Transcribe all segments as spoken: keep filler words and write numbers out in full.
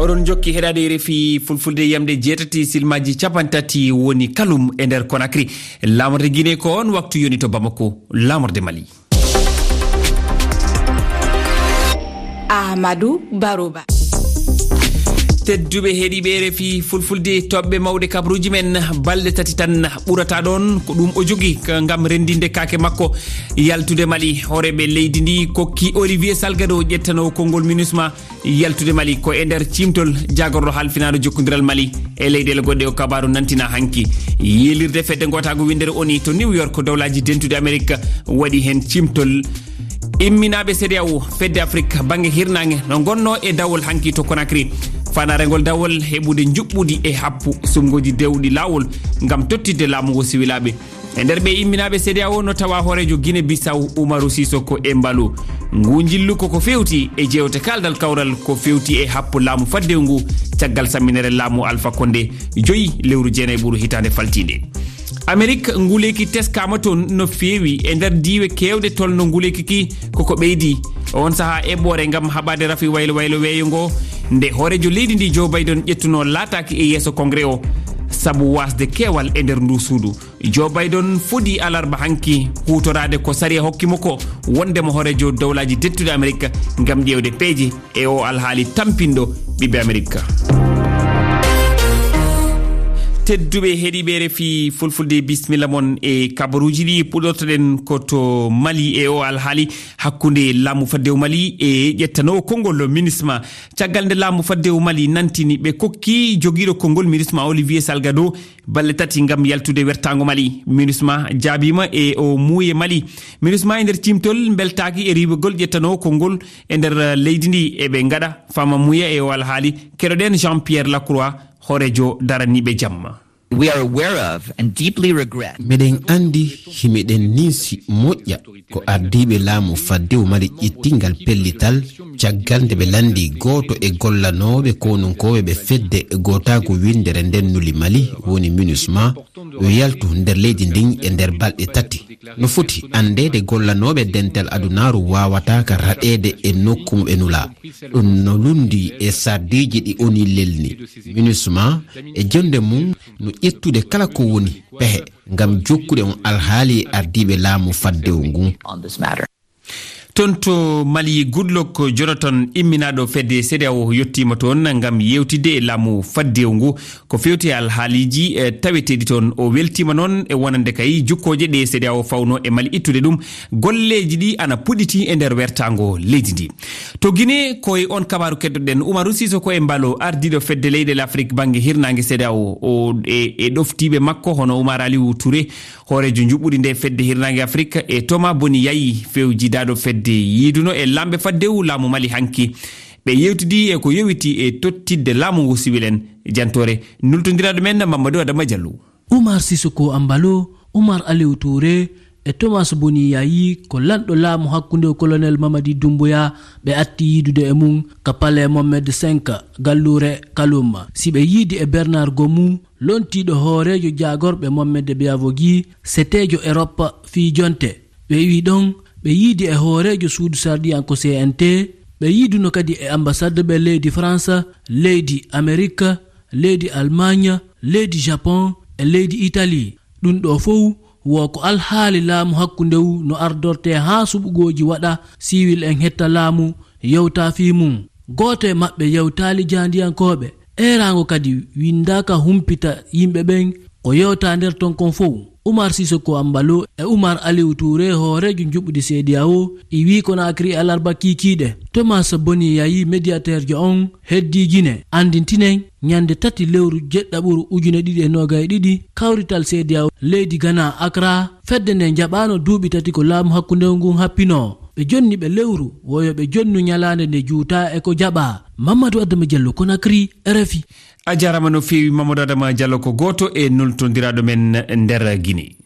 Ɗon jokki heɗaade R F I Fulfulde, yamde jeetati silmaaji capanɗe tati woni kalum e nder Conakry. Laamorde Guinée ko on waktu yoni to Bamako, laamorde Mali. Ahmadou Baroba. Tedduɓe heɗiiɓe R F I Fulfulde, toɓɓe mawɗe kabaruuji men, balɗe tati tan ɓurata ɗon, ko ɗum o jogi ka-, ngam renndinde kaake makko. Yaltude Mali, hooreeɓe leydi ndi kokki Olivier Salgado, ƴettanoowo konngol MINUSMA, yaltude Mali ko e nder ciimtol jaagorɗo halfinaaɗo jokkondiral Mali e leyɗeele goɗɗe. O kabaaru nantina hanki. Yiilirde fedde ngootaagu winndere O N U to New York, Dowlaaji Dentuɗi Amerik waɗi heen ciimtol. Imminaaɓe CEDEAO, fedde Afrik bannge hirnaange, no ngonnoo e dawol hanki to Conakry. Faandaare ngol dawol heɓude njuɓɓudi e happu suɓngooji dewɗi laawol ngam tottidde laamu ngu siwilaaɓe. E nder ɓe imminaaɓe CEDEAO no tawa hooreejo Guinée Bissau, Umaru Sissoco Embaló. Ngu njillu ko ko feewti e jeewte kaaldal kawral ko feewti e happu laamu faddewu ngu caggal samminere laamu Alpha Condé joyi lewru jeenay ɓuru hitaande faltiinde. Amerik, nguleeki teskaama toon no feewi e nder diiwe keewɗe tolno nguleeki ki koko ɓeydi. On sahaa eɓɓoore ngam haɓaade rafi waylo waylo weeyo ngo, nde hooreejo leydi ndi Joe Biden ƴettunoo laataaki e yeeso Congrès o, sabu waasde keewal e nder ndu suudu. Joe Biden fodi alarba hanki huutoraade ko sariya hokki mo ko, wonde mo hooreejo Dowlaaji Dentuɗi Amerik, ngam ƴeewde peeje e o alhaali tampinɗo ɓiɓɓe Amerik. Tedduɓe heɗiiɓe R F I Fulfulde, bisimilla mon e kabaruuji ɗi. Puɗɗortoɗen ko to Mali e o alhaali hakkunde laamu faddewu Mali e ƴettanoowo konngol MINUSMA. Caggal nde laamu faddewu Mali nantini ɓe kokki jogiiɗo konngol MINUSMA Olivier Salgado balɗe tati ngam yaltude wertaango Mali. MINUSMA jaabiima e o muuye Mali. MINUSMA e nder ciimtol mbeltaaki e riiwegol ƴettanoowo konngol e nder, eh, leydi ndi. Eɓe ngaɗa fama muuya e o alhaali. Keɗoɗen Jean-Pierre Lacroix, hooreejo daraniiɓe jamma. We are aware of and deeply regret. Meɗen anndi, himiɗen ninsi moƴƴa ko ardiiɓe laamu faddewu Mali ƴettingal pellital caggal nde ɓe lanndi gooto e gollanooɓe konunkooɓe ɓe fedde gootaagu winndere nden nuli Mali, woni MINUSMA, yo yaltu nder leydi ndin e nder balɗe tati. No foti anndeede gollanooɓe dental adunaaru waawataa ka raɗeede e nokku mo ɓe nulaa. Ɗum no lunndii e sardiiji ɗi O N U lelni. MINUSMA e jonnde mum no ƴettude kala ko woni pehe ngam jokkude on alhaali e ardiiɓe laamu faddewu ngun. Toon to Mali, Goodluck Jonathan, imminaaɗo fedde CEDEAO, yettiima toon ngam yeewtidde e laamu faddewu ngu ko feewti e alhaaliiji, eh, taweteeɗi toon. O weltiima noon e wonande kay jukkooje ɗe CEDEAO fawnoo e Mali ittude ɗum. Golleeji ɗi ana puɗɗiti e nder wertaango leydi ndi. To Guinée, ko e on kabaaru keddoɗen. Umaru Sissoco Embaló, ardiiɗo fedde leyɗeele Afrik bannge hirnaange CEDEAO, o e, e ɗoftiiɓe makko hono Umar Aliou Touré, hooreejo njuɓɓudi nde fedde hirnaange Afrik, e Thomas Boni Yayi, fewjidaaɗo fedde yiiduno e laamɓe faddewu laamu Mali hanki. Ɓe yewtidi e ko yowiti e tottidde laamu ngu siwil en. Jantoore nultondiraaɗo men Mamadou Adama Diallo. Umar Sissoco Embaló, Umar Aliou Touré e Thomas Boni Yayi ko lanɗo laamu hakkunde Colonel Mamadi Doumbouya ɓe atti yiidude e mum ka Palais Mohamed cinq, galluure Kaloum. Si ɓe yiidi e Bernard Gomou, lontiiɗo hooreejo jaagorɓe Mohamed Biavogi, seteejo Erop fii jonte. Ɓe iwi ɗon, ɓe yiidi e hooreejo suudu sarɗiyanko C N T, ɓe yiiduno kadi e ambasaddeɓe leydi France, leydi Amerik, leydi Almaañ, leydi Japon e leydi Itali. Ɗum ɗoo fow wo ko alhaali laamu hakkundewu no ardortee haa suɓugooji waɗa, siwil en hetta laamu, yewta fii mum. Gooto e maɓɓe yewtaali jaandiyankooɓe. Eeraango kadi winndaaka humpita yimɓe ɓen ko yewta nder ton kon fow. Umar Sissoco Embaló e Umar Aliou Touré, hooreejo njuɓɓudi CEDEAO, iwi Conakry alarba kiikiiɗe. Thomas Boni Yayi, médiateurjo on, heddii Guinée. Anndintinen, ñannde tati lewru jeɗɗaɓuru ujune ɗiɗi e noogay e ɗiɗi, kawrital CEDEAO leydi Ghana, Accra, fedde nden jaɓaano duuɓi tati ko laamu hakkundewu ngun happinoo. Ɓe jonni ɓe lewru, wo yo ɓe jonnu ñalaande nde juutaa e ko jaɓaa. Mamadou Adama Diallo, Conakry, R F I. A jaaraama no feewi, Mamadou Adama Diallo ko gooto e nultondiraaɗo men nder Guinée.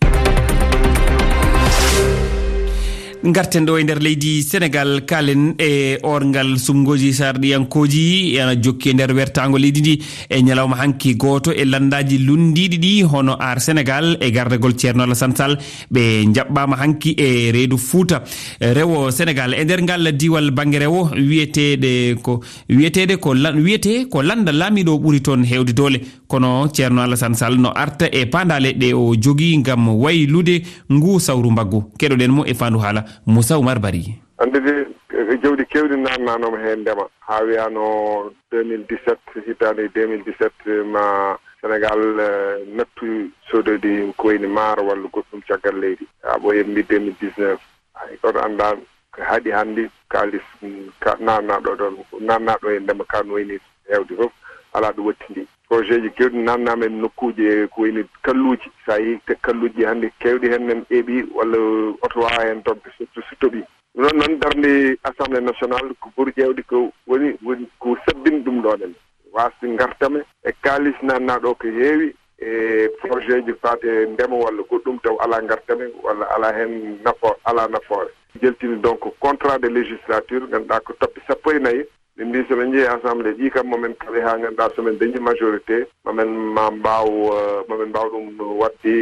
Ngarten ɗo e nder leydi Senegal, kaalen e orngal sumngooji sarɗiyankooji, ena jokki e nder wertaango leydi ndi e ñalawma hanki. Gooto e lanndaaji lunndiiɗi ɗi, hono Aar Senegal e gardagol Ceerno Alassane Sall, ɓe njaɓɓaama hanki e reedu Fuuta, rewo Senegal. E nder ngal diiwal bannge rewo, wiyeteeɗe ko, wiyeteeɗe ko lan-, wiyetee ko lannda laamiiɗo ɓuri toon heewde doole. Kono Ceerno Alassane Sall no arta e paandaale ɗe o jogii ngam waylude nguu sawru mbaggu. Keɗoɗen mo e faandu haala Moussa Oumar Bari. Anndude, eh, jawdi keewɗi naatnaanooma heen ndema, haa wiyaano deux mille dix-sept, hitaande deux mille dix-sept, ma Senegal, eh, nattu soododi ko wayni maaro walla goɗɗum caggal leydi. Haa ɓooyi en mbi deux mille dix-neuf. Hay gooto anndaa ko haɗi hannde kaalis, mm, ka-, naatnaaɗo ɗoon, naatnaaɗo e ndema ka no wayni heewde fof, alaa ɗo wattindi. Projet ji keewɗi naatnaama e nokkuuji e ko wayni kalluuji. So a yii te kalluuji ɗi hannde keewɗi heen en eɓi walla oto waawa heen toɓde, surtout so toɓii. Ɗum noon, noon darnde Assemblée nationale ko ɓuri ƴeewde ko woni, woni ko sabbini ɗum ɗoon en. Waasde ngartame e kaalis naatnaaɗo ko heewi e projet ji faati e ndema walla goɗɗum taw alaa ngartame walla alaa heen nafo-, alaa nafoore. Jaltini donc contrat de législature, ngannduɗaa ko toɓɓe sappo e nayi. Min mbi so ɓe njehii Assemblée ɗi kam, ma min kaɓe haa ngannduɗaa so min dañi majorité, ma min ma mbaaw, eh, ma min mbaaw ɗum waɗde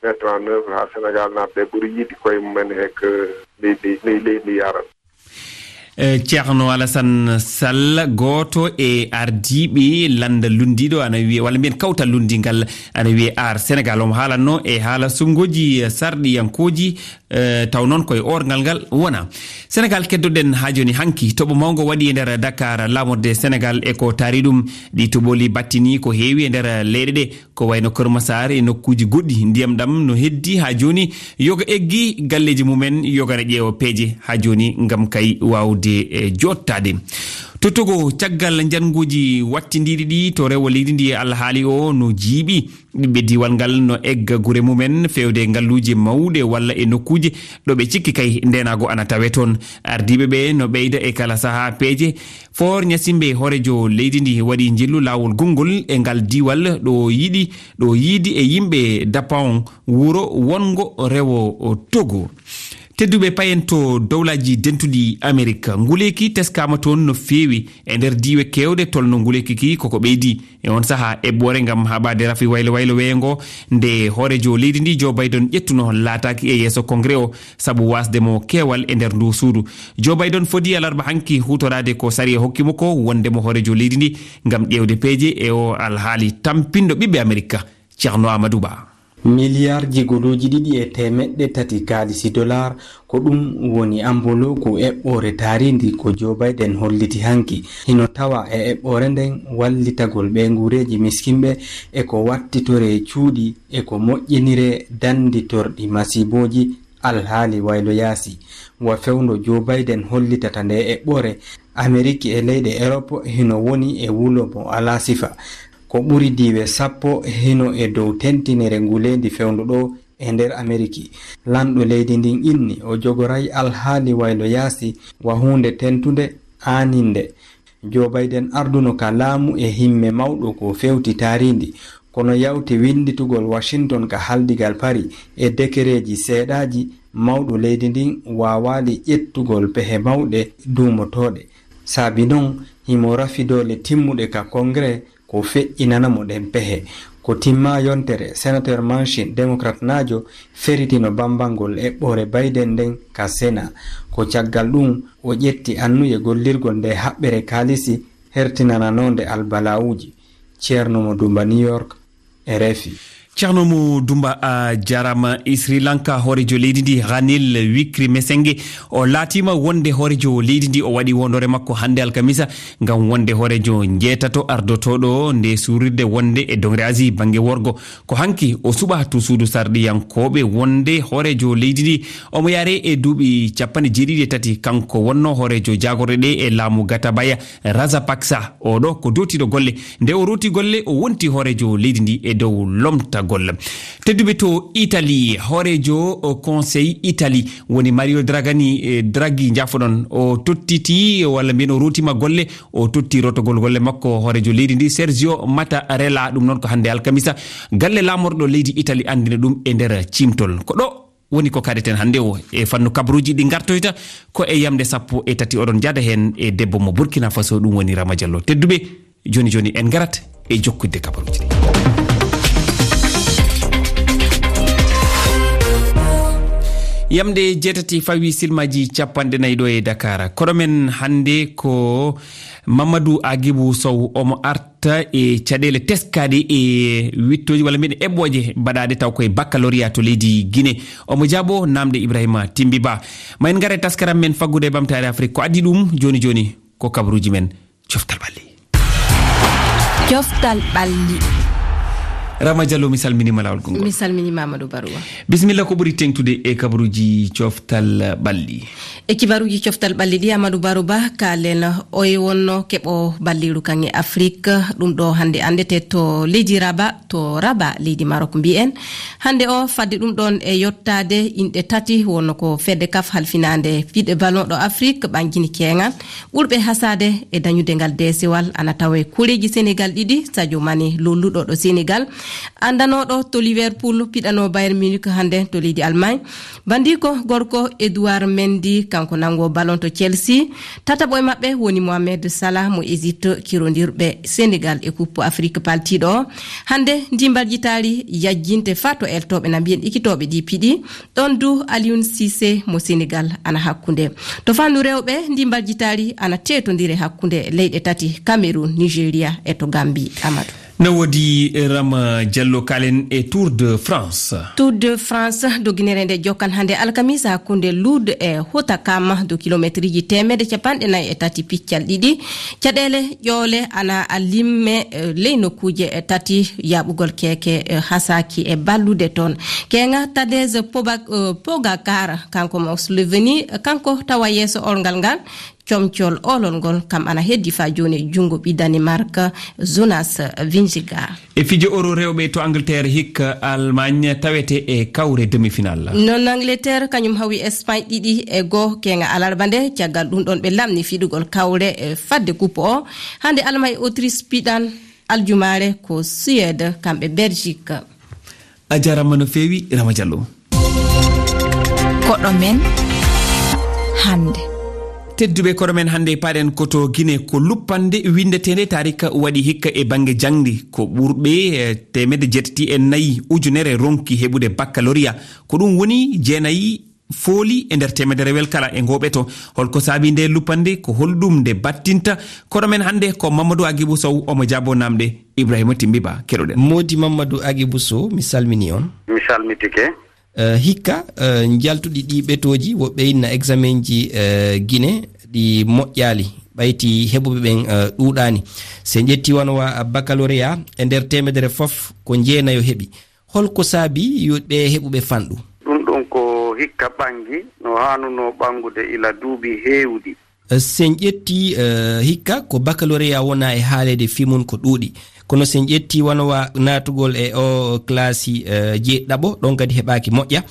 mettre en œuvre haa Senegal naaɓe ɓuri yiɗde koye mumen he ko leydi, ley-, leydi ndi yaran. Eh, Ceerno Alassane Sall, gooto e ardiiɓe lannda lunndiiɗo, ana wiyee, walla mbiyen kawtal lunndingal, ana wiyee Aar Senegal. Omo haalatnoo e haala sumngooji sarɗiyankooji, eh, taw noon koye orngal ngal wona. Senegal keddoɗen haa jooni hanki. Toɓo mawngo waɗi e nder Dakar, laamorde Senegal e ko taari ɗum. Ɗi toɓooli battini ko heewi e nder leyɗe ɗe. Ko wayno Kër Massar e nokkuuji goɗɗi, ndiyam ɗam no heddi haa jooni, yoga eggi galleeji mumen, yoga na ƴeewa peeje haa jooni ngam kay waawde, eh, jooɗtaade. To Togo, caggal njannguuji wattindiiɗi ɗi to rewo leydi ndi, alhaali o no jiiɓi. Ɓiɓɓe diiwal ngal no egga gure mumen feewde ngalluuje mawɗe walla e nokkuuje ɗo ɓe cikki kay ndeenaagu ana tawee toon. Ardiiɓe ɓe no ɓeyda e kala sahaa peeje. Foor Ɲasimbe, hooreejo leydi ndi, waɗi njillu laawol gonngol e ngal diiwal ɗo yiɗi, ɗo yiidi e yimɓe Dapaon, wuro wonngo rewo Togo. Tedduɓe, payen to Dowlaaji Dentuɗi Amerik. Nguleeki teskaama toon no feewi e nder diiwe keewɗe, tolno nguleeki ki koko ɓeydi. E on sahaa, eɓɓoore ngam haɓaade rafi waylo waylo weeyo ngo, nde hooreejo leydi ndi Joe Biden ƴettuno, laataaki e yeeso Kongre o sabu waasde mo keewal e nder ndu suudu. Joe Biden fodi alarba hanki huutoraade ko sariya hokki mo ko, wonde mo hooreejo leydi ndi ngam ƴeewde peeje e o alhaali tampinɗo ɓiɓɓe Amerika, Ceerno Amadou Ba. Miliyaarji guluuji ɗiɗi e teemeɗɗe tati kaalisi dolaar, ko ɗum woni ambolooku eɓɓoore taariindi ko Joe Biden holliti hanki. Hino tawa e eɓɓoore nden wallitagol ɓee nguureeji miskinɓe e ko wattitoree cuuɗi e ko moƴƴiniree dannditorɗi masiibooji alhaali waylo yaasi. Wa fewndo Joe Biden hollitata nde eɓɓoore, Ameriki e leyɗe Erop hino woni e wulo mo alaa sifa. Ko ɓuri diiwe sappo hino e dow tentinere nguleendi fewndo ɗo e nder Ameriki. Lanɗo leydi ndin inni o jogoray alhaali waylo yaasi wa huunde tentunde, aaninde. Joe Biden arduno ka laamu e himme mawɗo ko fewti taariindi, kono yawti winnditugol Washington ka haldigal Paris e dekereeji seeɗaaji, mawɗo leydi ndin waawaali ƴettugol pehe mawɗe duumotooɗe. Saabi non, himo rafi doole timmuɗe ka Kongre ko feƴƴinana mo ɗen pehe. Ko timma yontere, Senator Manchin, Democrat naajo, feritino bambangol eɓɓoore Biden nden ka Sena. Ko caggal ɗum, o ƴetti annuye gollirgol nde haɓɓere kaalisi hertinananoonde albalawuuji. Ceerno mo Dumba, New York, R F I. Ceerno mo Dumba, a jaaraama. E Sri Lanka, hooreejo leydi ndi, Ranil Wickremesinghe, o laatiima wonde hooreejo leydi ndi. O waɗi wondoore makko hannde alkamisa ngam wonde hooreejo njeetato ardotooɗo nde suurirde wonde e doŋre Asie bannge worgo. Ko hanki o suɓaa to suudu sarɗiyankooɓe wonde hooreejo leydi ndi. Omo yaaree e duuɓi cappanɗe jeeɗiɗi e tati. Kanko wonno hooreejo jaagorɗe ɗe e laamu Gotabaya Rajapaksa. Oɗo ko dootiiɗo golle. Nde o rooti golle, o wonti hooreejo leydi ndi e dow lomtagol. Tedduɓe, to Italie, hooreejo o Conseil Italie woni Mario Dragani, eh, Draghi, njaafoɗon. O tottiti, walla mbiyen o rootiima golle, o totti rootogol golle makko hooreejo leydi ndi, Sergio Mattarella. Ɗum noon ko hannde alkamisa, galle laamorɗo leydi Italie anndina ɗum e nder ciimtol. Ko ɗo Woni ko kaɗeten hannde o e fannu kabaruuji ɗi ngartoyta ko e yamde sappo e tati. Oɗon njaada heen e debbo mo Burkina Faso, ɗum woni Rama Diallo. Tedduɓe, jooni jooni en ngarat e jokkude kabaruuji ɗi. Yamde jeetati fawi silmaaji capanɗe nayi ɗo e Dakar. Koɗo men hannde ko Mamadou Agibou Sow, omo arta e caɗeele teskaaɗe e wiɗtooji walla mbiyen eɓɓooje baɗaaɗe taw koye baccalauréat to leydi Guinée. Omo jaabo naamnde Ibrahima Timbi Ba. Ma en ngar e taskaram men faggude e ɓamtaare Afrik. Ko addi ɗum jooni jooni ko kabaruuji men. Coftal ɓalli. Coftal ɓalli. Rama Diallo, mi salminiima laawol konngol. Mi salminiima Amadou Baruwa. Bisimilla, ko ɓuri teeŋtude e kabaruuji coftal ɓalli? E kibaruuji coftal ɓalli ɗi, Amadou Baruba, kaalen oye wonno keɓo balliiru kan e Afrik. Ɗum ɗo hannde anndete to leydi Raba, to Raba, leydi Marok mbiyen. Hannde o, fadde ɗum ɗon e yottaade inɗe tati, wonno ko fedde kaf halfinaande piɗe ballon ɗo Afrik, ɓangini keeŋan. Ɓurɓe hasaade e dañude ngal deesewal ana tawa e koreeji Senegal ɗiɗi, Sadio Mané lolluɗo ɗo Senegal, anndanooɗo to Liverpool, piɗanoo Bayern Munich hannde to leydi Allemagne. Banndiko gorko Edouard Mendy, kanko nanngo ballon to Chelsea. Tataɓo e maɓɓe woni Mohamed Salah mo Égypte, kirondirɓe Senegal e Coupe Afrique paltiiɗo o. Hannde ndii mbarjitaari yajjinte faa to eltooɓe na mbiyen ekitooɓe ɗi piɗi. Ɗon du Aliou Cissé mo Senegal ana hakkunde. To fannu rewɓe, ndii mbarjitaari ana teetondire hakkunde leyɗe tati, Cameroun, Nigeria e to Gambie. Amadou. No woodi, eh, Rama Diallo, kaalen e Tour de France. Tour de France, doginere nde jokkan hannde alkamisa hakkunde Lourdes e Hautacam, dow kilometriji teemedde capanɗe nayi e tati piccal ɗiɗi. Caɗeele ƴoole ana a limme, eh, ley nokkuuje, eh, tati, yaaɓugol keeke, eh, hasaaki e ballude toon. Keeŋa Tadej Poba-, eh, Pogacar, kanko mo Slovénie, kanko tawa yeeso olngal ngal, comcol olol ngol, kam ana heddi faa jooni e junngo ɓii Danemark, Jonas Vingegaard. E fijo Euro rewɓe to Angleterre, hikka Allemagne tawete e kawre demi-finale. Non Angleterre, kañum hawi Espagne ɗiɗi e goo, keeŋa alarba nde, caggal ɗum ɗon ɓe lamni fiɗugol kawre, eh, fadde kuppo o. Hannde Allemagne e Autriche piɗan, aljumaare ko Suède, kamɓe Belgique. A jaaraama no feewi, Rama Diallo. Koɗo men hannde. Tedduɓe, koɗo men hannde, paaɗen ko to Guinée, ko luppande winndeteende taarika waɗi hikka e bannge jaŋde. Ko ɓurɓe, eh, teemedde jeetati e nayi ujunere ronki heɓude baccalauréat. Ko ɗum woni jeenayi fooli e nder teemedere wel kala e ngoo ɓeto. Holko saabii nde luppande? Ko holɗum nde battinta? Koɗo men hannde ko Mamadou Agibou Sow, omo jaabo naamnde Ibrahima Timbi Ba. Keɗoɗen. Moodi Mamadou Agibou Sow, mi salmini on. Mi salmitike. Eh, hikka, eh, njaltuɗi ɗi ɓetooji, woɓɓe inna examenji, eh, Guinée ɗi moƴƴaali, ɓayti heɓuɓe ɓen, eh, ɗuuɗaani. Si en ƴetti wano wa baccalauréat, e nder teemedere fof ko jeenayo heɓi. Holko saabii yo ɓe heɓuɓe fanɗu? Ɗum ɗon ko hikka ɓangi no haanunoo ɓangude ila duuɓi heewɗi. Si en ƴetti, eh, hikka ko baccalauréat wona e haaleede fii mun ko ɗuuɗi. Kono si en ƴetti wano wa naatugol e o classe, eh, jeeɗiɗaɓo, ɗon kadi heɓaaki moƴƴa.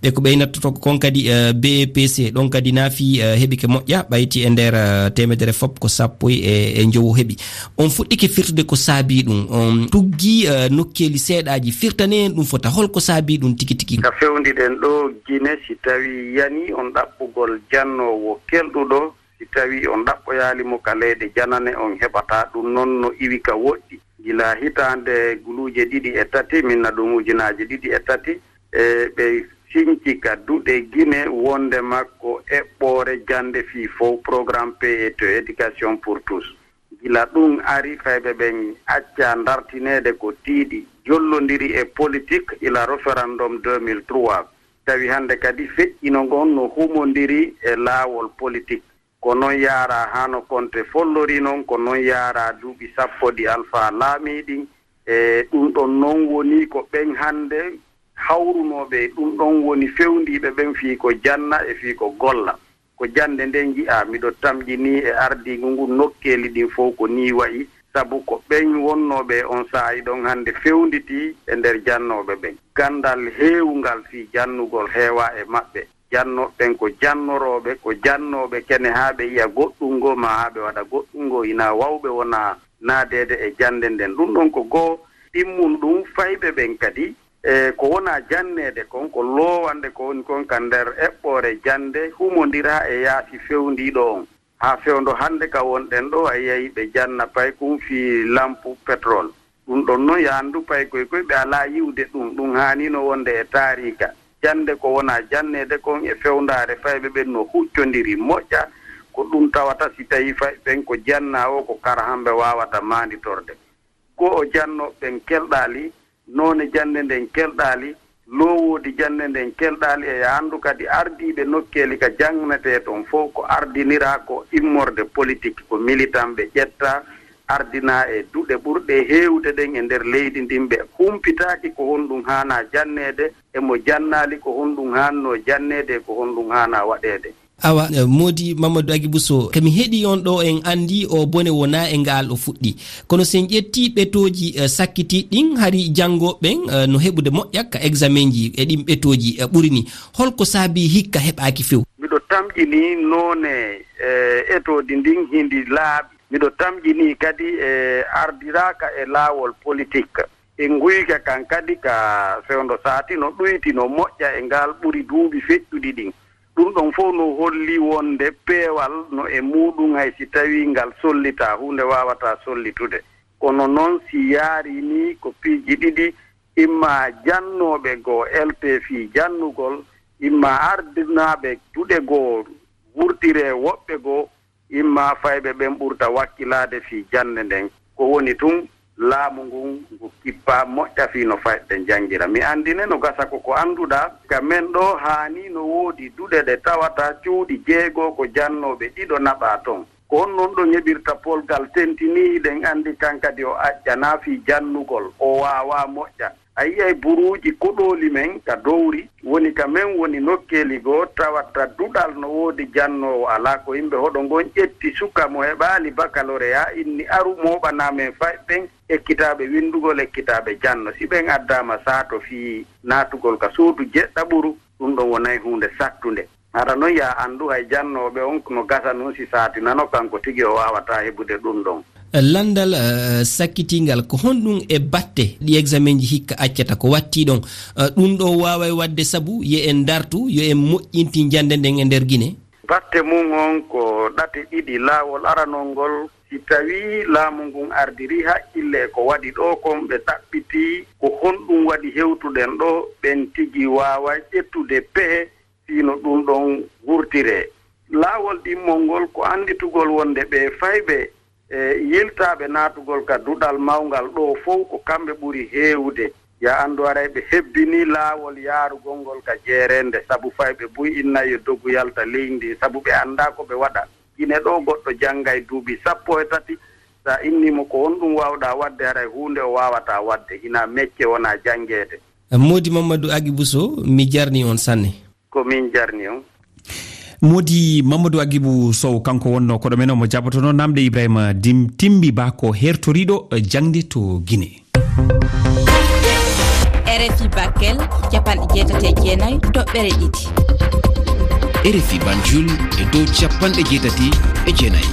Ɓe ko ɓe nattoto kon kadi, eh, B E P C, ɗon kadi naafi, eh, heɓike moƴƴa, ɓayti e nder, eh, teemedere fof ko sappo e, e njowo heɓi. On fuɗɗike firtude ko saabii ɗum. On tuggi, eh, nokkeeli seeɗaaji, firtane en ɗum fota. Holko saabii ɗum tigi tigi? Ka fewndiɗen ɗo Gine, si tawi yani on ɗaɓɓugol jannoowo kelɗuɗo, si tawi on ɗaɓɓoyaali mo ka leyɗe janane, on heɓataa ɗum non no iwi ka woɗɗi. Gila hitaande guluuje ɗiɗi e tati, minna ɗum ujunaaji ɗiɗi e tati, e ɓe sinci ka duɗe Gine wonde makko eɓɓoore jannde fii fow, programme P E T, éducation pour tous. Gila ɗum ari, fayɓe ɓen acca ndartineede ko tiiɗi, jollondiri e politik ila référendum deux mille trois. Tawi hannde kadi feƴƴino ngon no humondiri e laawol politik. Ko non yaaraa hano Konte follori non, ko non yaaraa duuɓi sappo ɗi Alfaa laamii ɗin. E ɗum ɗon non woni ko ɓen hannde hawrunooɓe e ɗum ɗon woni fewndiiɓe ɓen fii ko janna e fii ko golla. Ko jannde nden yi'aa, miɗo tamƴinii e ardiigu ngun nokkeeli ɗin fow ko nii wa'i, sabu ko ɓen wonnooɓe e on saa'i ɗon hannde fewnditii e nder jannooɓe ɓen. Ganndal heewungal fii jannugol heewaa e maɓɓe. Jannooɓe ɓen ko jannorooɓe, ko jannooɓe kene haa ɓe yi'a goɗɗum ngoo maa haa ɓe waɗa goɗɗum ngoo, hinaa wawɓe wonaa naadeede e jannde nden. Ɗum ɗon ko goo. Ɗimmun ɗum, fayɓe ɓen kadi E ko wonaa janneede kon, ko loowande ko woni kon ka nder eɓɓoore jannde, humondiraa e yaasi fewndiiɗo on. Haa fewndo hannde ka wonɗen ɗoo, a yiyay ɓe janna paykun fii lampu petrol. Ɗun ɗon non, yo anndu paykoy koy ɓe alaa yi'ude ɗun, ɗun haaniino wonde e taariika. Jannde ko wonaa janneede kon e fewndaare fayɓe ɓen no huccondiri moƴƴa, ko ɗun tawata si tawii fayɓe ɓen ko jannaa woo ko kara hamɓe waawata maanditorde. Ko o jannooɓe ɓen kelɗaali, noone jannde nden kelɗaali, loowoodi jannde nden kelɗaali, e yo anndu kadi ardiiɓe nokkeeli ka jannetee ton fow ko ardiniraa ko immorde politik, ko militanɓe ƴettaa, ardinaa e duɗe ɓurɗe heewde ɗen e nder leydi ndin, ɓe humpitaaki ko honɗun haanaa janneede, e mo jannaali ko honɗun haannoo janneede, e ko honɗun haanaa waɗeede. Awa, eh, Moodi Mamadou Agibou Sow, ko mi heɗii on ɗoo, en anndii o bone wonaa e ngaal o fuɗɗii. Kono si en ƴettii ɓetooji, eh, sakkitiiɗi ɗin, hari janngooɓe ɓen, eh, no heɓude moƴƴa ka eksamenji e ɗin ɓetooji, eh, ɓuri nii. Holko saabii hikka heɓaaki few? Miɗo tamƴinii noone, eh, etoodi ndin hindi laaɓi. Miɗo tamƴinii kadi e ardiraaka e laawol politik. E nguyka kan kadi ka fewndo saati no ɗuyti, no moƴƴa e ngal ɓuri duuɓi feƴƴuɗi ɗin. Ɗun ɗon fow no holli wonde peewal no e muuɗun, hay si tawii ngal sollitaa, huunde waawataa sollitude. Kono non si yaarii nii ko piiji ɗiɗi, imma jannooɓe goo eltee fii jannugol, imma ardinaaɓe duɗe goo wurtiree woɓɓe goo, imma fayɓe ɓen ɓurta wakkilaade fii jannde nden. Ko woni tun, laamu ngun ngu kippaa moƴƴa fii no fayɓe ɓen janngira. Mi anndine no gasa ko ko annduɗaa, ka men ɗoo haani no woodi duɗe ɗe tawata cuuɗi jeego ko jannooɓe ɗiɗo naɓaa ton. Ko honno ɗon heɓirta polgal tentini, hiɗen anndi kan kadi o aƴƴanaa fii jannugol, o waawaa moƴƴa. A yi'ay buruuji koɗooli men ka dowri, woni ka men woni nokkeeli goo, tawata duɗal no woodi jannoowo alaa, ko yimɓe hoɗo ngon ƴetti suka mo heɓaali bakaloreyaa, inni aru mooɓanaa men fayɓe ɓen ekkitaaɓe winndugol, ekkitaaɓe janno. Si ɓen addaama saato fii naatugol ka suudu jeɗɗaɓuru, ɗun ɗon wonay huunde sattunde. Hara non yaa anndu hay jannooɓe on no gasa nun si saatinano kanko tigi o waawataa heɓude ɗun ɗon. Lanndal, eh, sakkitiingal, ko honɗun e batte ɗi eksamenji hikka accata ko wattii ɗon? Eh, ɗun ɗoo waaway waɗde sabu yo en dartu, yo en moƴƴintin jannde nden e nder Gine? Batte mun on ko ɗate ɗiɗi. Laawol aranol ngol, si tawii laamu ngun ardirii hakkille e ko waɗi ɗoo kon, ɓe ɗaɓɓitii ko honɗun waɗi hewtuɗen ɗoo, ɓen tigi waaway ƴettude pehe fii no ɗun ɗon wurtiree. Laawol ɗimmol ngol ko annditugol wonde ɓee fayɓe e yiltaaɓe naatugol ka duɗal mawngal ɗoo fow ko kamɓe ɓuri heewude. Yaa anndu haray ɓe hebbinii laawol yaarugol ngol ka jeereende, sabu fayɓe buy innay yo dogu yalta leydi ndin, sabu ɓe anndaa ko ɓe waɗa. Gine ɗoo goɗɗo janngay duuɓi sappo e tati, sa innii mo ko honɗun waawɗaa waɗde, haray huunde o waawataa waɗde, hinaa mecce wonaa janngeede. Moodi Mamadou Agibou Sow, mi jarnii on sanne. Ko min jarni on. Moodi Mamadou Agibou Sow, kanko wonno koɗo men, omo jabotono namde Ibrahima Dim-, Timbi Ba, ko hertoriɗo jaŋde to Gine. R F I Bakel, capanɗe jeetati e jeenayi toɓɓere ɗiɗi. R F I Banjul e dow capanɗe jeetati e jeenayi.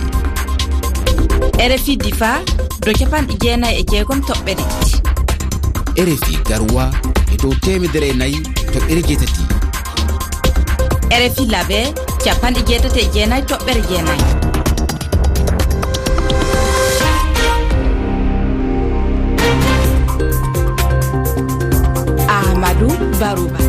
R F I Difa, dow capanɗe jeenayi e jeegom toɓɓere ɗiɗi. R F I Garoua e dow teemedere e nayi toɓɓere jeetati. R F I Labe, capanɗe jeetati e jeenayi toɓɓere jeenayi. Amadou Barouba.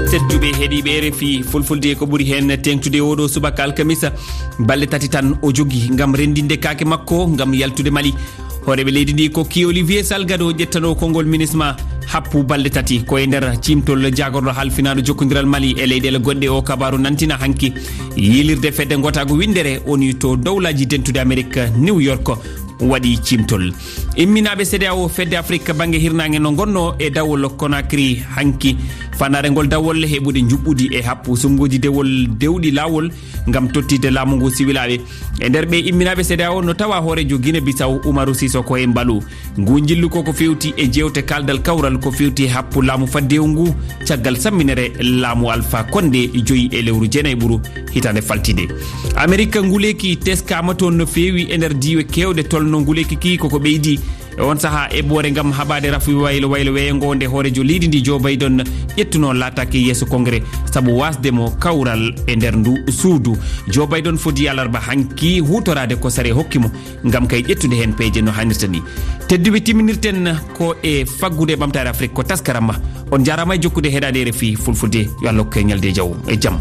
Tedduɓe heɗiiɓe R F I Fulfulde, ko ɓuri heen teeŋtude oo ɗoo subaka alkamisa. Balɗe tati tan o jogii ngam renndinde kaake makko ngam yaltude Mali. Hooreeɓe leydi ndi ko kii Olivier Salgado ƴettanoo konngol minisma happu balɗe tati. Ko e nder ciimtol jaagorɗo halfinaaɗo jokkondiral Mali e leyɗeele goɗɗe oo kabaaru nantina hanki. Yiilirde fedde ngotaagu winndere woni to Dowlaaji Dentuɗi Amerik, New York, waɗi ciimtol. Imminaaɓe CEDEAO, fedde Afrik bannge hirnaange, no ngonnoo e dawol Conakry hanki. Fannaare ngol dawol heɓude njuɓɓudi e happu suɓngooji dewol dewɗi laawol ngam tottitde laamu ngu siwilaaɓe. E nder ɓee imminaaɓe CEDEAO no tawa hooreejo Gine Bisaw, Umaru Sisoko Embalu. Ngu njillu ko ko feewti e jeewte kaaldal kawral ko feewti e happu laamu faddewu ngu caggal samminere laamu Alfa Konde joyi e lewru jeenayɓuru hitaande faltiinde. Amerik nguleeki teskaama toon no feewi e nder diiwe keewɗe, tolno nguleeki ki koko ɓeydi E on saha eɓɓoore ngam haɓaade rafi waylo waylo weeyo ngo nde hooreejo leydi ndi Joe Biden ƴettuno laataaki yeeso Kongre sabu wasde mo kawral e nder ndu suudu. Joe Biden foti alarba hanki huutoraade ko sare hokki mo ngam kay ƴettude heen peeje no hanirta ni. Tedduɓe, timminirten ko e faggude ɓamtaare Afrik ko taskaram ma. On njaaraama e jokkude heɗaade R F I Fulfulde. Yo Allah hokke ñalde jaw e jam.